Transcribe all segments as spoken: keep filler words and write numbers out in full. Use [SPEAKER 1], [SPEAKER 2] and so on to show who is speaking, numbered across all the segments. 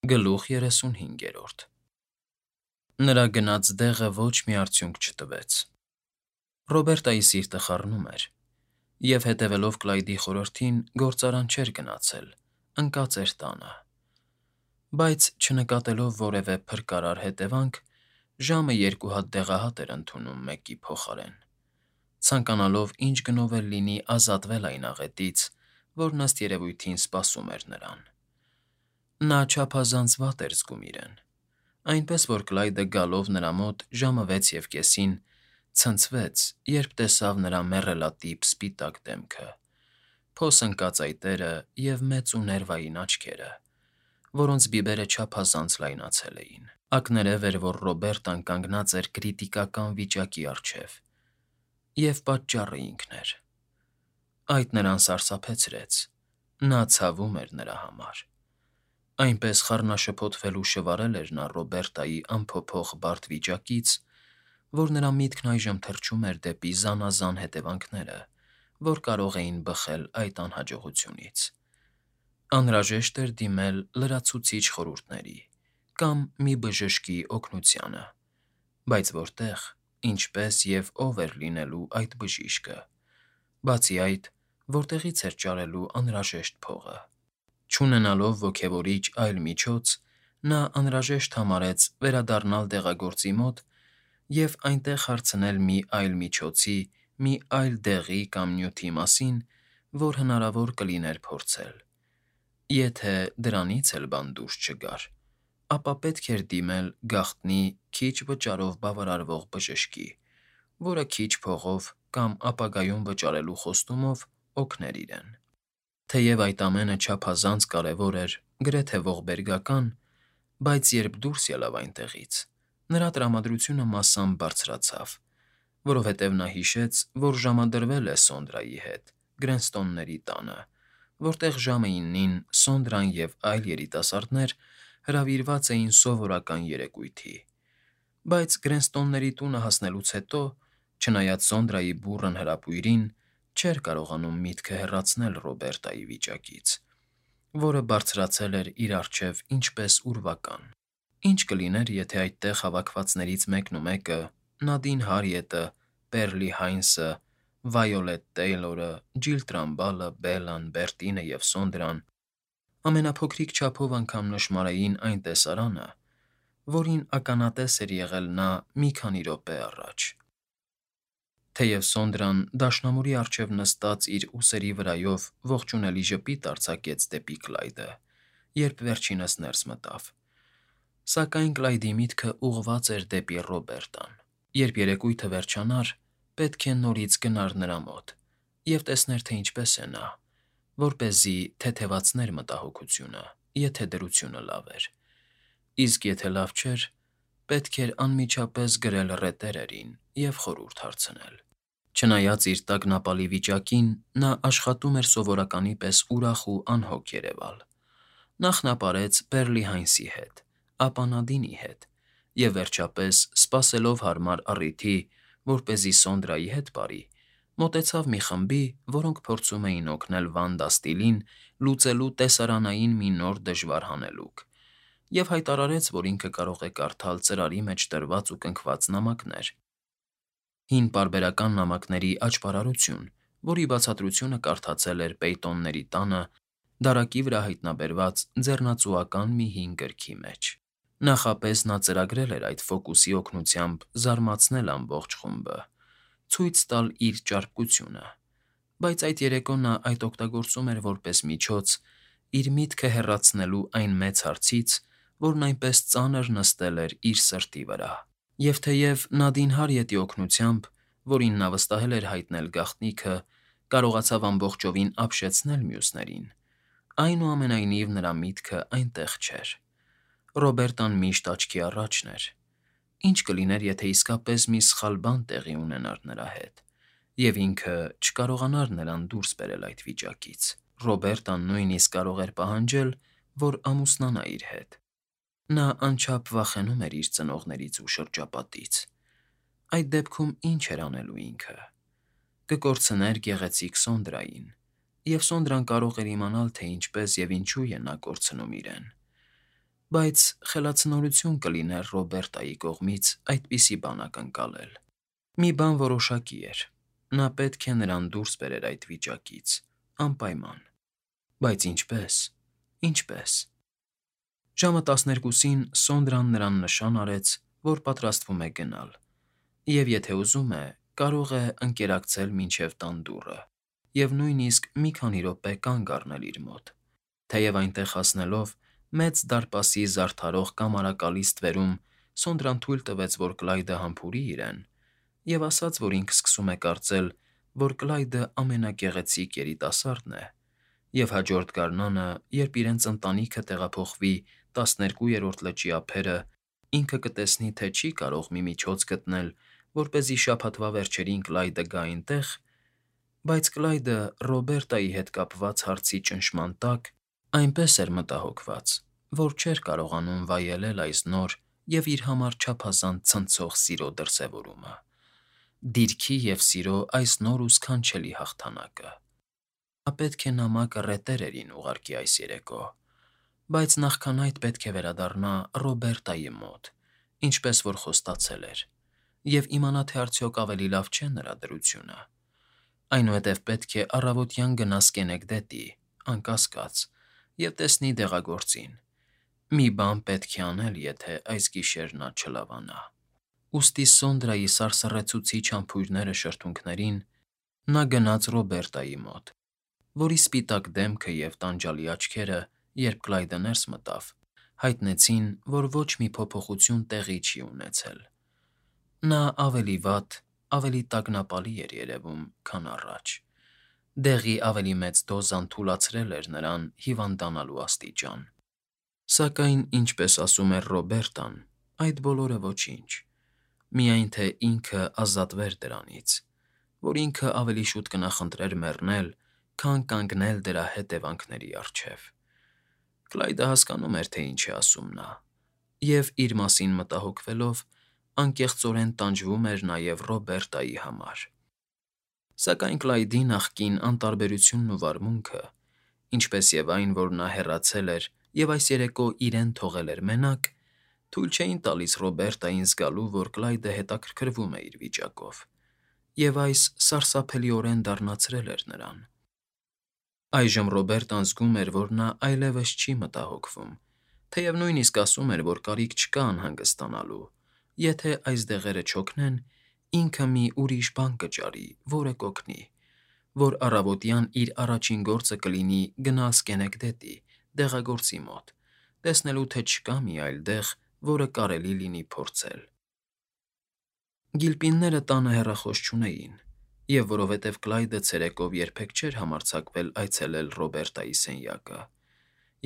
[SPEAKER 1] Գլուխ երեսունհինգերորդ Նրա գնած դեղը ոչ մի արդյունք չտվեց։ Ռոբերտայի սիրտը խառնում էր, և, հետևելով Կլայդի խորհրդին, գործարան չէր գնացել, ընկած էր տանը։ Բայց, չնկատելով որևէ փրկարար հետևանք, ժամը երկու հատ դեղահատ էր ընդունում մեկի փոխարեն, ցանկանալով ինչ գնով էլ լինի ազատվել այն աղետից, որն ըստ երևույթին սպասում էր նրան։ Նա չափազանց վատ էր զգում իրեն, այնպես որ Կլայդը գալով նրա մոտ ժամը վեց և կեսին, ցնցվեց, երբ տեսավ նրա մեռելատիպ սպիտակ դեմքը, փոս ընկած այտերը և մեծ ու ներվային աչքերը, որոնց բիբերը չափազանց լայնացել էին։ Ակներև էր, որ Ռոբերտան կանգնած էր կրիտիկական վիճակի առջև, և պատճառը ինքն էր։ Այդ նրան սարսափեցրեց, նա ցավում էր նրա համար։ Այնպես խառնաշփոթվել ու շվարել էր նա Ռոբերտայի անփոփոխ բարդ վիճակից, որ նրա միտքն այժմ թռչում էր դեպի զանազան հետևանքները, որ կարող էին բխել այդ անհաջողությունից։ Անհրաժեշտ էր դիմել լրացուցիչ խորհուրդների կամ մի բժշկի օգնությանը, բայց որտեղ, ինչպես և ով էր լինելու այդ բժիշկը, բացի այդ, որտեղից էր ճարելու անհրաժեշտ փողը։ Չունենալով ոգևորիչ այլ միջոց, նա անհրաժեշտ համարեց վերադառնալ դեղագործի մոտ և այնտեղ հարցնել մի այլ միջոցի, մի այլ դեղի կամ նյութի մասին, որ հնարավոր կլիներ փորձել։ Եթե դրանից էլ բան դուրս չգար, ապա պետք էր դիմել գաղտնի քիչ վճարով բավարարվող բժշկի, որը քիչ փողով կամ ապագայում վճարելու խոստումով օգներ իրեն։ Թեև այդ ամենը չափազանց կարևոր էր, գրեթե ողբերգական, բայց երբ դուրս ելավ այնտեղից, նրա տրամադրությունը մասամբ բարձրացավ, որովհետև նա հիշեց, որ ժամադրվել է Սոնդրայի հետ Գրենստոնների տանը, որտեղ ժամը իննին Սոնդրան և այլ երիտասարդներ հրավիրված էին սովորական երեկույթի։ Բայց Գրենստոնների տունը հասնելուց հետո, չնայած Սոնդրայի բուռն հրապույրին, չէր կարողանում միտքը հեռացնել Ռոբերտայի վիճակից, որը բարձրացել էր իր առջև ինչպես ուրվական։ Ինչ կլիներ, եթե այդտեղ հավաքվածներից մեկնումեկը՝ Նադին Հարիետը, Պերլի Հայնսը, Վայոլետ Թեյլորը, Ջիլ Տրամբալը, Բելլան, Բերտինը և Սոնդրան ամենափոքրիկ չափով անգամ նշմարեին այն տեսարանը, որին ականատես էր եղել նա մի քանի րոպե առաջ։ Թեև Սոնդրան դաշնամուրի առջև նստած իր ուսերի վրայով ողջունելի ժպիտ արձակեց դեպի Կլայդը, երբ վերջինս ներս մտավ, սակայն Կլայդի միտքը ուղղված էր դեպի Ռոբերտան։ Երբ երեկույթը վերջանար, պետք է նորից գնար նրա մոտ և տեսներ, թե ինչպես է նա, որպեսզի թեթևացներ մտահոգությունը, եթե դրությունը լավ էր, իսկ եթե լավ չէր, պետք էր անմիջապես գրել ռետերերին և խորհուրդ հարցնել։ Չնայած իր տագնապալի վիճակին, նա աշխատում էր սովորականի պես ուրախ ու անհոգ երևալ։ Նախ նա պարեց Պերլի Հայնսի հետ, ապա Նադինի հետ, և վերջապես, սպասելով հարմար առիթի, որպեսզի Սոնդրայի հետ պարի, մոտեցավ մի խմբի, որոնք փորձում էին օգնել Վանդա Ստիլին լուծելու տեսարանային մի նոր դժվար հանելուկ, և հայտարարեց, որ ինքը կարող է կարդալ ծրարի մեջ դրված ու կնքված նամակներ։ Հին պարբերական նամակների աճպարարություն, որի բացատրությունը կարդացել էր Պեյտոնների տանը դարակի վրա հայտնաբերված ձեռնածուական մի հին գրքի մեջ։ Նախապես նա ծրագրել էր այդ ֆոկուսի օգնությամբ զարմացնել ամբողջ խումբը, ցույց տալ իր ճարպկությունը, բայց այդ երեկո նա այդ օգտագործում էր որպես միջոց իր միտքը հեռացնելու այն մեծ հարցից, որն այնպես ծանր նստել էր իր սրտի վրա։ Եվ թեև Նադին Հարիետի օգնությամբ, որին նա վստահել էր հայտնել գաղտնիքը, կարողացավ ամբողջովին ապշեցնել մյուսներին, այնուամենայնիվ նրա միտքը այնտեղ չէր։ Ռոբերտան միշտ աչքի առաջն էր։ Ինչ կլիներ, եթե իսկապես մի սխալ բան տեղի ունենար նրա հետ, և ինքը չկարողանար նրան դուրս բերել այդ վիճակից։ Ռոբերտան նույնիսկ կարող էր պահանջել, որ ամուսնանա իր հետ։ Նա անչափ վախենում էր իր ծնողներից ու շրջապատից։ Այդ դեպքում ի՞նչ էր անելու ինքը։ Կկորցներ գեղեցիկ Սոնդրային, և Սոնդրան կարող էր իմանալ, թե ինչպես և ինչու է նա կորցնում իրեն։ Բայց խելացնորություն կլիներ Ռոբերտայի կողմից այդպիսի բան ակնկալել։ Մի բան որոշակի էր. նա պետք է նրան դուրս բերեր այդ վիճակից, անպայման։ Բայց ինչպե՞ս, ինչպե՞ս։ Ժամը տասներկուսին Սոնդրան նրան նշան արեց, որ պատրաստվում է գնալ, և եթե ուզում է, կարող է ընկերակցել մինչև տան դուռը և նույնիսկ մի քանի րոպե կանգ առնել իր մոտ։ Թեև այնտեղ հասնելով, մեծ դարպասի զարդարող կամարակալի ստվերում Սոնդրան թույլ տվեց, որ Կլայդը համբուրի իրեն, և ասաց, որ ինքը սկսում է կարծել, որ Կլայդը ամենագեղեցիկ երիտասարդն է, և հաջորդ գարնանը, երբ իրենց ընտանիքը տեղափոխվի տասներկուերորդ լճի ափերը, ինքը կտեսնի, թե չի կարող մի միջոց գտնել, որպեսզի շաբաթվա վերջերին Կլայդը գա այնտեղ, բայց Կլայդը Ռոբերտայի հետ կապված հարցի ճնշման տակ այնպես էր մտահոգված, որ չէր կարողանում վայելել այս նոր և իր համար չափազանց ցնցող սիրո դրսևորումը, դիրքի և սիրո այս նոր ու սքանչելի հաղթանակը։ Նա պետք է նամակը ռետերերին ուղարկի այս երեկո, բայց նախքան այդ պետք է վերադառնա Ռոբերտայի մոտ, ինչպես որ խոստացել էր, և իմանա, թե արդյոք ավելի լավ չէ նրա դրությունը։ Այնուհետև պետք է առավոտյան գնա Սկենեգդետի, անկասկած, և տեսնի դեղագործին։ Մի բան պետք է անել, եթե այս գիշեր նա չլավանա։ Ուստի Սոնդրայի սարսռեցուցիչ համբույրները շրթունքներին նա գնաց Ռոբերտայի մոտ, որի սպիտակ դեմքը և տանջալի աչքերը, երբ Կլայդը ներս մտավ, հայտնեցին, որ ոչ մի փոփոխություն տեղի չի ունեցել։ Նա ավելի վատ, ավելի տագնապալի էր երևում, քան առաջ։ Դեղի ավելի մեծ դոզան թուլացրել էր նրան հիվանդանալու աստիճան։ Սակայն, ինչպես ասում էր Ռոբերտան, այդ բոլորը ոչինչ, միայն թե ինքը ազատվեր դրանից, որ ինքը ավելի շուտ կնախընտրեր մեռնել, քան կանգնել դրա հետևանքների առջև։ Կլայդը հասկանում էր, թե ինչ է ասում նա, և, իր մասին մտահոգվելով, անկեղծորեն տանջվում էր նաև Ռոբերտայի համար։ Սակայն Կլայդի նախկին անտարբերությունն ու վարմունքը, ինչպես և այն, որ նա հեռացել էր և այս երեկո իրեն թողել էր մենակ, թույլ չէին տալիս Ռոբերտային զգալու, որ Կլայդը հետաքրքրվում է իր վիճակով, և այս սարսափելիորեն դառնացրել էր նրան։ Այժմ Ռոբերտան զգում էր, որ նա այլևս չի մտահոգվում, թեև նույնիսկ ասում էր, որ կարիք չկա անհանգստանալու, եթե այս դեղերը չօգնեն, ինքը մի ուրիշ բան կճարի, որը կօգնի, որ առավոտյան իր առաջին գործը կլինի գնալ Սկենեգդետի, դեղագործի մոտ, տեսնելու, թե չկա մի այլ դեղ, որը կարելի լինի փորձել։ Գիլպինները տանը հեռախոս չունեին, և որովհետև Կլայդը ցերեկով երբեք չէր համարձակվել այցելել Ռոբերտայի սենյակը,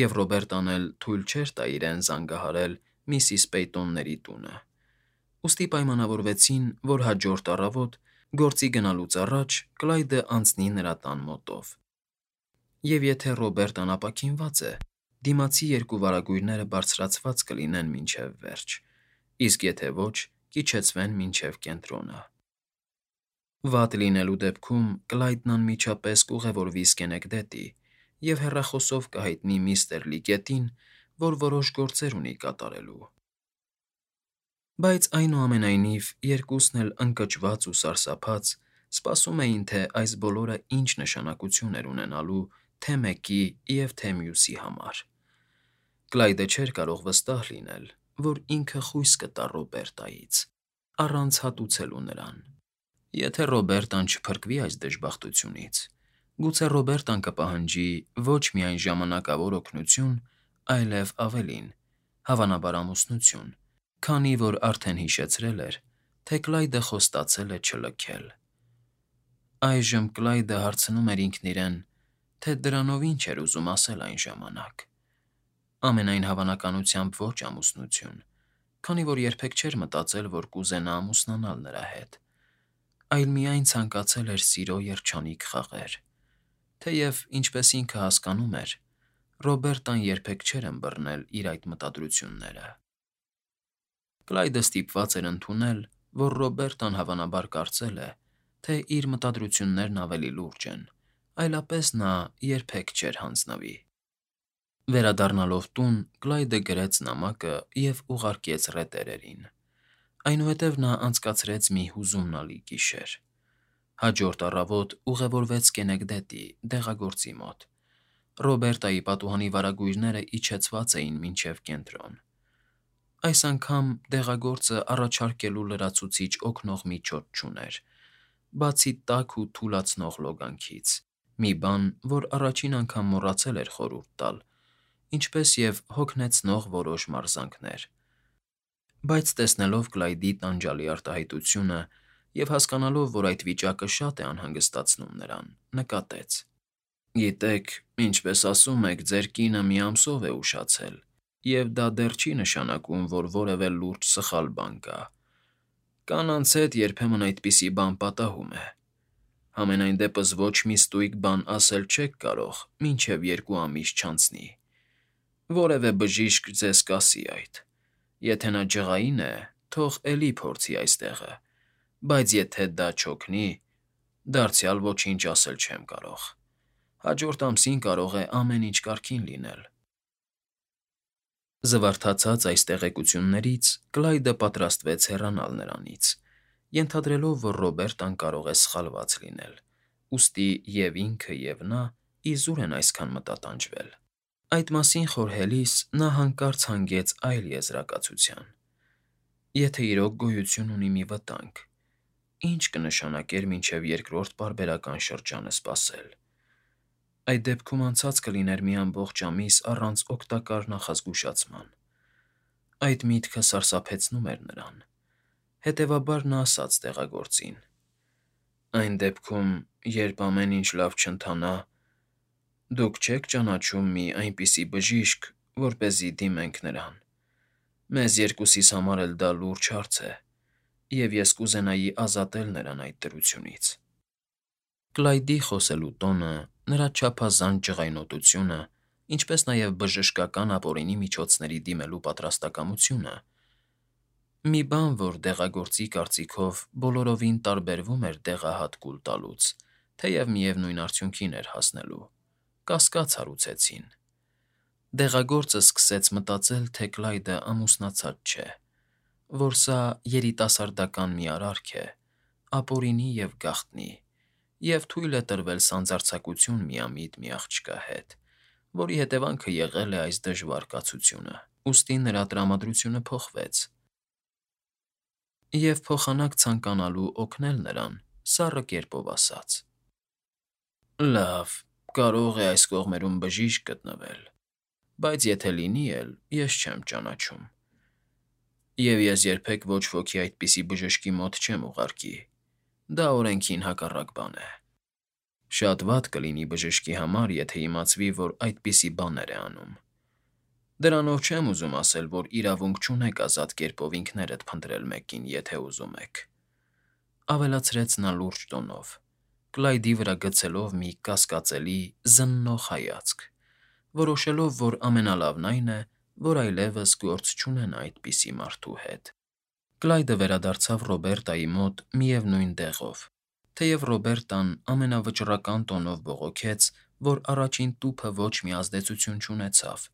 [SPEAKER 1] և Ռոբերտան էլ թույլ չէր տա իրեն զանգահարել միսիս Պեյտոնների տունը, ուստի պայմանավորվեցին, որ հաջորդ առավոտ, գործի գնալուց առաջ, Կլայդը անցնի նրա տան մոտով, և եթե Ռոբերտան ապաքինված է, դիմացի երկու վարագույրները բարձրացված կլինեն մինչև վերջ, իսկ եթե ոչ, կիջեցվեն մինչև կենտրոնը։ Վատ լինելու դեպքում Կլայդն անմիջապես կուղևորվի Սկենեգդետի և հեռախոսով կհայտնի միստր Լիկետին, որ որոշ գործեր ունի կատարելու։ Բայց, այնուամենայնիվ, երկուսն էլ ընկճված ու սարսափած սպասում էին, թե այս բոլորը ինչ նշանակություն էր ունենալու թե մեկի և թե մյուսի համար։ Կլայդը չէր կարող վստահ լինել, որ ինքը խույս կտա Ռոբերտայից, առանց հատուցելու նրան։ Եթե Ռոբերտան չփրկվի այս դժբախտությունից, գուցե Ռոբերտան կպահանջի ոչ միայն ժամանակավոր օգնություն, այլև ավելին, հավանաբար ամուսնություն, քանի որ արդեն հիշեցրել էր, թե Կլայդը խոստացել է չլքել։ Այժմ Կլայդը հարցնում էր ինքն իրեն, թե դրանով ինչ էր ուզում ասել այն ժամանակ։ Ամենայն հավանականությամբ ոչ ամուսնություն, քանի որ երբեք չէր մտածել, որ կուզենա ամուսնանալ նրա հետ, այլ միայն ցանկացել էր սիրո երջանիկ խաղեր, թեև, ինչպես ինքը հասկանում էր, Ռոբերտան երբեք չէր ըմբռնել իր այդ մտադրությունները։ Կլայդը ստիպված էր ընդունել, որ Ռոբերտան հավանաբար կարծել է, թե իր մտադրություններն ավելի լուրջ են, այլապես նա երբեք չէր հանձնվի։ Վերադառնալով տուն, Կլայդը գրեց նամակը և ուղարկեց ռետերերին։ Այնուհետև նա անցկացրեց մի հուզումնալի գիշեր։ Հաջորդ առավոտ ուղևորվեց Կենեգդետի, դեղագործի մոտ։ Ռոբերտայի պատուհանի վարագույրները իջեցված էին մինչև կենտրոն։ Այս անգամ դեղագործը առաջարկելու լրացուցիչ օգնող միջոց չուներ, բացի տաք ու թուլացնող լոգանքից, մի բան, որ առաջին անգամ մոռացել էր խորհուրդ տալ, ինչպես և հոգնեցնող որոշ մարզանքներ։ Բայց տեսնելով Կլայդի տանջալի արտահայտությունը և հասկանալով, որ այդ վիճակը շատ է անհանգստացնում նրան, նկատեց. «Գիտեք, ինչպես ասում եք, ձեր կինը մի ամսով է ուշացել, և դա դեռ չի նշանակում, որ որևէ լուրջ սխալ բան կա։ Կանանց հետ երբեմն այդպիսի բան պատահում է։ Համենայն դեպս ոչ մի ստույգ բան ասել չեք կարող, մինչև երկու ամիս չանցնի։ Որևէ բժիշկ ձեզ կասի այդ։ Եթե նա ջղային է, թող էլի փորձի այստեղը, բայց եթե դա չօգնի, դարձյալ ոչինչ ասել չեմ կարող։ Հաջորդ ամսին կարող է ամեն ինչ կարգին լինել»։ Զվարթացած այս տեղեկություններից՝ Կլայդը պատրաստվեց հեռանալ նրանից, ենթադրելով, որ Ռոբերտան կարող է սխալված լինել, ուստի և՛ ինքը, և՛ նա իզուր են այսքան մտատանջվել։ Այդ մասին խորհելիս նա հանկարծ հանգեց այլ եզրակացության. եթե իրոք գոյություն ունի մի վտանգ, ի՞նչ կնշանակեր մինչև երկրորդ պարբերական շրջանը սպասել։ Այդ դեպքում անցած կլիներ մի ամբողջ ամիս առանց օգտակար նախազգուշացման։ Այդ միտքը սարսափեցնում էր նրան, հետևաբար նա ասաց դեղագործին. «Այն դեպքում, երբ ամեն ինչ լավ չընթանա, դուք չե՞ք ճանաչում մի այնպիսի բժիշկ, որպեսզի դիմենք նրան։ Մեզ երկուսիս համար էլ դա լուրջ հարց է, և ես կուզենայի ազատել նրան այդ դրությունից»։ Կլայդի խոսելու տոնը, նրա չափազանց ջղայնոտությունը, ինչպես նաև բժշկական ապօրինի միջոցների դիմելու պատրաստակամությունը… Մի բան, որ դեղագործի կարծիքով բոլորովին տարբերվում էր դեղահատ կուլ տալուց, թեև միևնույն արդյունքին էր հասնելու, կասկած հարուցեցին։ Դեղագործը սկսեց մտածել, թե Կլայդը ամուսնացած չէ, որ սա երիտասարդական մի արարք է, ապօրինի և գաղտնի, և թույլ է տրվել սանձարձակություն միամիտ մի աղջկա հետ, որի հետևանքը եղել է այս դժվար կացությունը։ Ուստի նրա տրամադրությունը փոխվեց, և փոխանակ ցանկանալու օգնել նրան, սառը կերպով ասաց. «Լավ, կարող է այս կողմերում բժիշկ գտնվել, բայց եթե լինի էլ, ես չեմ ճանաչում։ Եվ ես երբեք ոչ ոքի այդպիսի բժշկի մոտ չեմ ուղարկի, դա օրենքին հակառակ բան է։ Շատ վատ կլինի բժշկի համար, եթե իմացվի, որ այդպիսի բաներ է անում։ Դրանով չեմ ուզում ասել, որ իրավունք չունեք ազատ կերպով ինքներդ փնտրել մեկին, եթե ուզում եք», ավելացրեց նա լուրջ տոնով, Կլայդի վրա գցելով մի կասկածելի, զննող հայացք, որոշելով, որ ամենալավն այն է, որ այլևս գործ չունենա այդպիսի մարդու հետ։ Կլայդը վերադարձավ Ռոբերտայի մոտ միևնույն դեղով, թեև Ռոբերտան ամենավճռական տոնով բողոքեց, որ առաջին տուփը ոչ մի ազդեցություն չունեցավ,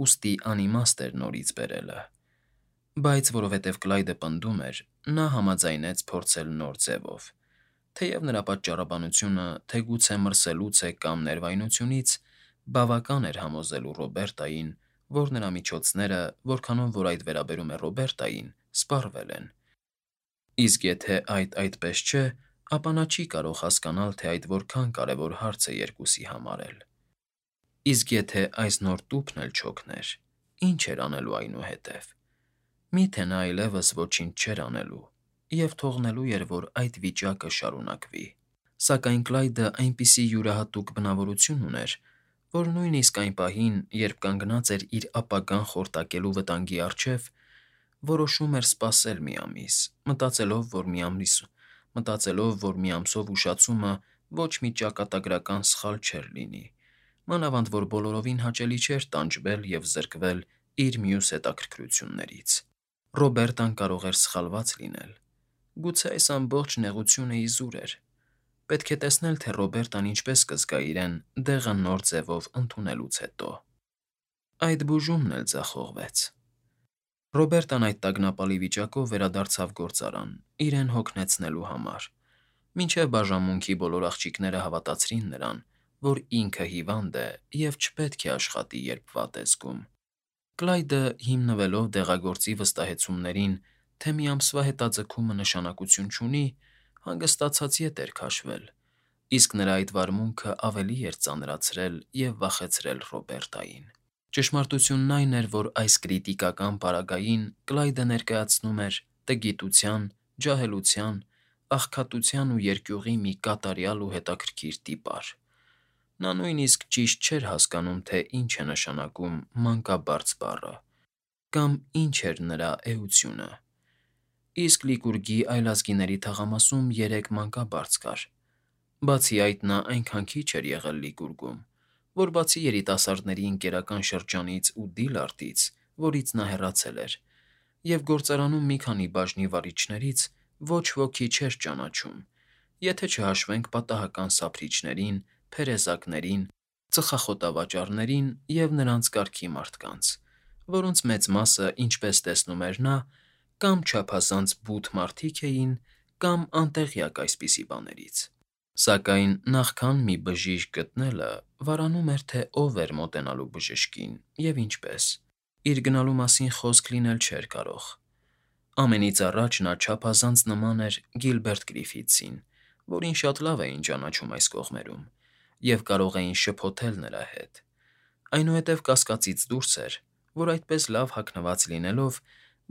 [SPEAKER 1] ուստի անիմաստ էր նորից բերելը։ Բայց որովհետև Կլայդը պնդում էր, նա համաձայնեց փորձել նոր ձևով, թեև նրա պատճառաբանությունը, թե գուցե մրսելուց է կամ ներվայնությունից, բավական էր համոզելու Ռոբերտային, որ նրա միջոցները, որքանով որ այդ վերաբերում է Ռոբերտային, սպառվել են։ Իսկ եթե այդ այդպես չէ, ապա նա չի կարող հասկանալ, թե այդ որքան կարևոր հարց է երկուսի համար էլ։ Իսկ եթե այս նոր տուփն էլ չօգներ, ի՞նչ էր անելու այնուհետև։ Մի՞թե նա այլևս ոչինչ չէր անելու և թողնելու էր, որ այդ վիճակը շարունակվի։ Սակայն Կլայդը այնպիսի յուրահատուկ բնավորություն ուներ, որ նույնիսկ այն պահին, երբ կանգնած էր իր ապագան խորտակելու վտանգի առջև, որոշում էր սպասել մի ամիս, մտածելով, որ մի ամիս… մտածելով, որ մի ամսով ուշացումը ոչ մի ճակատագրական սխալ չէր լինի, մանավանդ որ բոլորովին հաճելի չէր տանջվել և զրկվել իր մյուս հետաքրքրություններից։ Ռոբերտան կարող էր սխալված լինել։ Գուցե այս ամբողջ նեղությունը իզուր էր։ Պետք է տեսնել, թե Ռոբերտան ինչպես կզգա իրեն դեղը նոր ձևով ընդունելուց հետո։ Այդ բուժումն էլ ձախողվեց։ Ռոբերտան այդ տագնապալի վիճակով վերադարձավ գործարան, իրեն հոգնեցնելու համար, մինչև բաժանմունքի բոլոր աղջիկները հավատացրին նրան, որ ինքը հիվանդ է և չպետք է աշխատի, երբ վատ է զգում։ Կլայդը, հիմնվելով դեղագործի վստահեցումներին, թե մի ամսվա հետաձգումը նշանակություն չունի, հանգստացած ետ էր քաշվել, իսկ նրա այդ վարմունքը ավելի էր ծանրացրել և վախեցրել Ռոբերտային։ Ճշմարտությունն այն էր, որ այս կրիտիկական պարագային Կլայդը ներկայացնում էր տգիտության, ջահելության, աղքատության ու երկյուղի մի կատարյալ ու հետաքրքիր տիպար։ Նա նույնիսկ ճիշտ չէր հասկանում, թե ինչ է նշանակում «մանկաբարձ» բառը, կամ ինչ էր նրա էությունը։ Իսկ Լիկուրգի այլազգիների թաղամասում երեք մանկաբարձ կար։ Բացի այդ, նա այնքան քիչ էր եղել Լիկուրգում, որ բացի երիտասարդների ընկերական շրջանից ու Դիլարդից, որից նա հեռացել էր, և գործարանում մի քանի բաժնի վարիչներից ոչ ոքի չէր ճանաչում, եթե չհաշվենք պատահական սափրիչներին, փերեզակներին, ծխախոտավաճառներին և նրանց կարգի մարդկանց, որոնց մեծ մասը, ինչպես տեսնում էր նա, կամ չափազանց բութ մարդիկ էին, կամ անտեղյակ այսպիսի բաներից։ Սակայն նախքան մի բժիշկ գտնելը վարանում էր, թե ով էր մոտենալու բժշկին և ինչպես։ Իր գնալու մասին խոսք լինել չէր կարող։ Ամենից առաջ նա չափազանց նման էր Գիլբերտ Գրիֆիթսին, որին շատ լավ էին ճանաչում այս կողմերում, և կարող էին շփոթել նրա հետ։ Այնուհետև կասկածից դուրս էր, որ այդպես լավ հագնված լինելով՝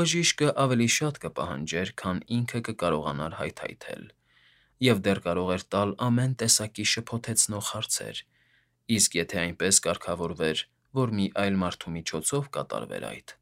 [SPEAKER 1] բժիշկը ավելի շատ կպահանջեր, քան ինքը կկարողանար հայթայթել, և դեռ կարող էր տալ ամեն տեսակի շփոթեցնող հարցեր, իսկ եթե այնպես կարգավորվեր, որ մի այլ մարդու միջոցով կատարվեր այդ,